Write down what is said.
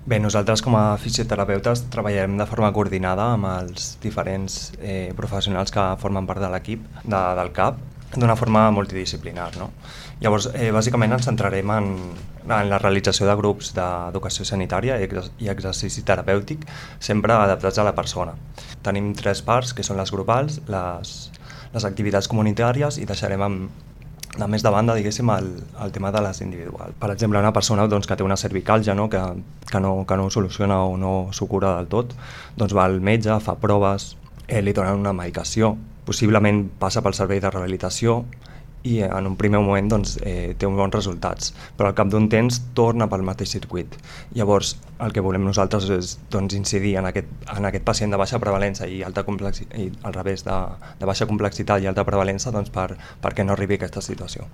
Bé, nosaltres com a fisioterapeutes treballem de forma coordinada amb els diferents professionals que formen part de l'equip del CAP d'una forma multidisciplinar, no? Llavors, bàsicament ens centrarem en la realització de grups d'educació sanitària i exercici terapèutic, sempre adaptats a la persona. Tenim 3 parts, que són les grupals, les activitats comunitàries, i deixarem de més de banda, diguéssim, el tema de les individuals. Per exemple, una persona doncs, que té una cervicàlgia, no? Que no soluciona o no s'ho cura del tot, doncs va al metge, fa proves, li donen una medicació, possiblement passa pel servei de rehabilitació i en un primer moment doncs, té uns bons resultats, però al cap d'un temps torna pel mateix circuit. Llavors, el que volem nosaltres és doncs, incidir en aquest pacient de baixa prevalença i alta complexitat, i al revés, de baixa complexitat i alta prevalença, doncs, perquè no arribi a aquesta situació.